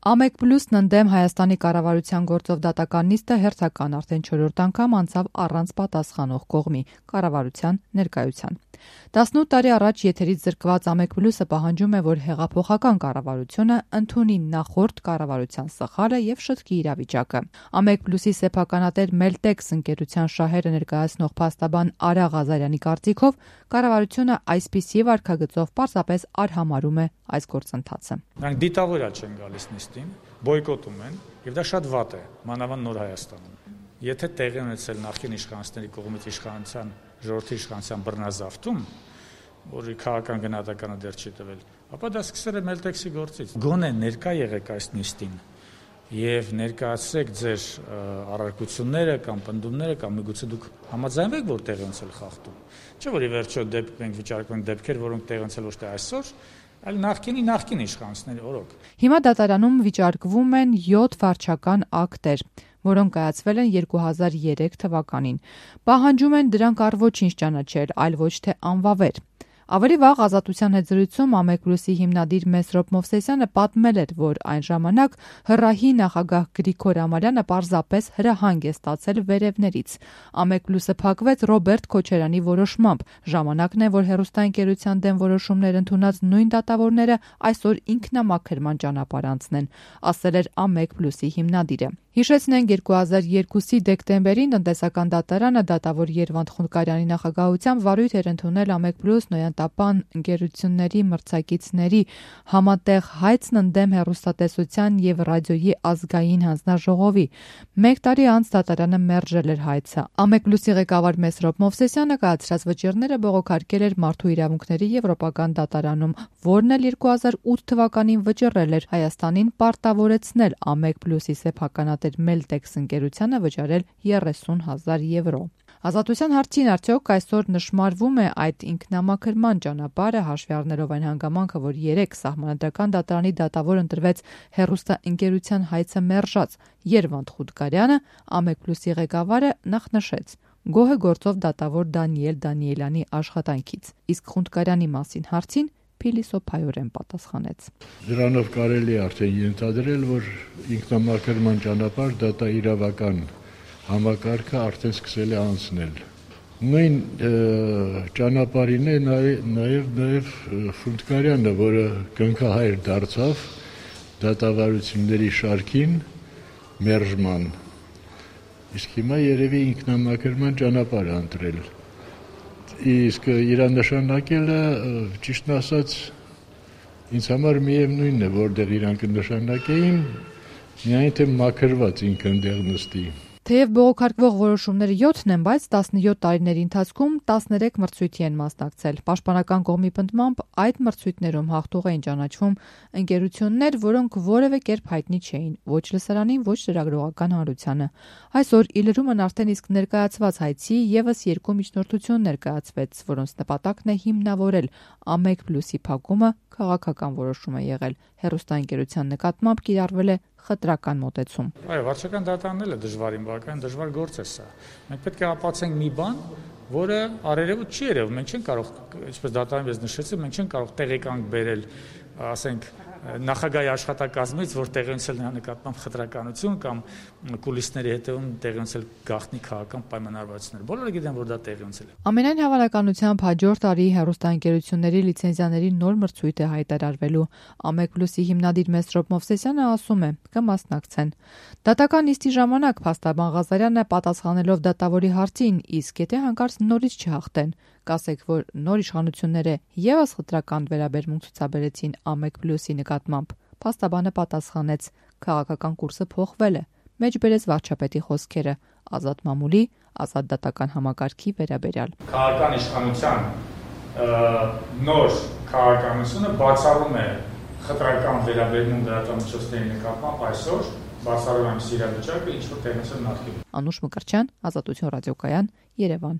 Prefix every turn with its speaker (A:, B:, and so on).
A: AMEC+-ն ընդդեմ Հայաստանի կառավարության գործով դատական նիստը հերթական արդեն 4-րդ անգամ անցավ առանց պատասխանող կողմի կառավարության ներկայության։ 18 տարի առաջ եթերից զրկված AMEC+-ը պահանջում է, որ հեղափոխական կառավարությունը ընդունի նախորդ կառավարության սխալը եւ շտկի իրավիճակը։ AMEC+-ի սեփականատեր Meltex ընկերության շահերը ներկայացնող փաստաբան Արա Ղազարյանի կարծիքով կառավարությունը այսպիսի վարքագծով պարզապես արհամարում է այս գործընթացը։
B: Նրանք դիտավորյալ չեն գալիս նիստին, բոյկոտում են, եւ դա շատ վատ է, մանավանդ Նոր Հայաստանում։ Եթե տեղի ունեցել նախկին իշխանությունների կողմից իշխանության ժողովրդի իշխանության բռնազավթում, որի քաղաքական գնահատականը դեռ չի տվել, ապա դա սկսել է Meltex-ի գործից։ Գոնե ներկա եղեք այս նիստին եւ ներկայացրեք ձեր առարկությունները կամ պնդումները կամ միգուցե դուք համաձայնվեք, որ տեղի ունեցել խախտում։ Չէ՞ որ ի վերջո մենք վիճարկում ենք դեպքեր, որոնք տեղի ունեցել ոչ թե այսօր, այլ նախկին իշխանությունների օրոք։
A: Հիմա դատարանում վիճարկվում են 7 վարչական ակտեր, որոնք կայացվել են 2003 թվականին։ Պահանջում են դրանք առ ոչինչ ճանաչել, այլ ոչ թե անվավեր։ Ավելի վաղ Ազատության հետ զրույցում AMEC+-ի հիմնադիր Մեսրոպ Մովսեսյանը պատմել էր, որ այն ժամանակ ՀՌԱՀ-ի նախագահ Գրիգոր Ամալյանը պարզապես հրահանգ է ստացել վերևներից։ AMEC+-ը փակվեց Ռոբերտ Քոչարյանի որոշմամբ։ Ժամանակն է, որ հեռուստաընկերության դեմ որոշումներ ընդունած նույն դատավորները այսօր ինքնամաքրման ճանապարհ անցնեն, ասել էր AMEC+-ի հիմնադիրը։ Հիշեցնենք 2002-ի դեկտեմբերին տնտեսական դատարանը դատավոր Երվանդ Խունդկարյանի նախագահությամբ վարույթ էր ընդունել AMEC+, Նոյանտապան ընկերությունների մրցակիցների համատեղ հայցն ընդդեմ հեռուստատեսության եւ ռադիոյի ազգային հանձնաժողովի։ 1 տարի անց դատարանը մերժել էր հայցը։ AMEC+-ի ղեկավար Մեսրոպ Մովսեսյանը կայացրած վճիռները բողոքարկել էր Մարդու իրավունքների եվրոպական դատարանում, որն էլ 2008 թվականին վճռել էր Հայաստանին պարտավորեցնել AMEC+-ի սեփականատեր Meltex ընկերությանը վճարել 30,000 եվրո։ Ազատության հարցին արդյոք այսօր նշмарվում է այդ ինքնամաքրման ճանապարհը, հաշվի առնելով այն հանգամանքը, որ 3 սահմանադրական դատարանի դատավոր ընտրվեց հեռուստաընկերության հայցը մերժած Երվանդ Խունդկարյանը, AMEC+-ի ղեկավարը նախ նշեց. գոհ է գործով դատավոր Դանիել Դանիելյանի աշխատանքից, իսկ Խունդկարյանի մասին հարցին փիլիսոփայորեն պատասխանեց.
C: Դրանով կարելի է արդեն ենթադրել, որ ինքնամաքրման ճանապարհ դատաիրավական համակարգը արդեն սկսել է անցնել։ Նույն ճանապարհին է նաև Խունդկարյանը, որը կնքահայր դարձավ դատավարությունների շարքին մերժման։ Իսկ հիմա երևի ինքնամաքրման ճանապարհ ընտրել։ Իսկ իր նշանակելը, ճիշտն ասած, ինձ համար միևնույնն է, որտեղ իրանք նշանակեին, միայն թե մաքրված ինքը ընդեղ նստի։
A: Թեև բողոքարկվող որոշումները 7-ն են, բայց 17 տարիների ընթացքում 13 մրցույթի են մասնակցել։ Պաշտպանական կողմի պնդմամբ այդ մրցույթներում հաղթող էին ճանաչվում ընկերություններ, որոնք որևէ կերպ հայտնի չէին ոչ լսարանին, ոչ լրագրողական հանրությանը։ Այսօր ի լրումն արդեն իսկ ներկայացված հայցի եւս 2 միջնորդություն ներկայացվեց, որոնց նպատակն է հիմնավորել AMEC+-ի փակումը քաղաքական որոշում է եղել։ Հեռուստաընկերության նկատմամբ կիրառվել է խտրական մոտեցում։
B: Այո, վարչական դատարանն է դժվար գործ է սա։ Մենք պետք է ապացուցենք մի բան, որը արերևույթ չի երևում։ Մենք չենք կարող, ինչպես դատարանը նշեցի, մենք չենք կարող տեղեկանք բերել, ասենք, նախագահի աշխատակազմից, որ տեղի ունեցել նրա նկատմամբ խտրականություն կամ կուլիսների հետևում տեղի ունեցել գաղտնի քաղաքական պայմանավորվածություններ։ Բոլորը գիտեն, որ դա տեղի ունեցել է։
A: Ամենայն հավանականությամբ հաջորդ տարի հեռուստաընկերությունների լիցենզիաների նոր մրցույթ է հայտարարվելու։ AMEC+-ի հիմնադիր Մեսրոպ Մովսեսյանը ասում է, կմասնակցեն։ Դատական նիստի ժամանակ փաստաբան Ղազարյանը պատասխանելով դատավորի հարցին, իսկ եթե հանկարծ նորից չհաղթեն, կասեք, որ նոր իշխանությունները եւս խտրական վերաբերմունք ցուցաբերեցին AMEC+-ի նկատմամբ։ Փաստաբանը պատասխանեց. քաղաքական կուրսը փոխվել է։ Մեջբերեց վարչապետի խոսքերը ազատ մամուլի, ազատ դատական համակարգի վերաբերյալ։
B: Քաղաքական իշխանության նոր քաղաքականությունը բացառում է խտրական վերաբերմունք լրատվամիջոցների նկատմամբ այսօր, բացառում է իրավիճակը, ինչ որ տեղնեցել նախկինում։
A: Անուշ Մկրտչյան, Ազատություն ռադիոկայան, Երևան։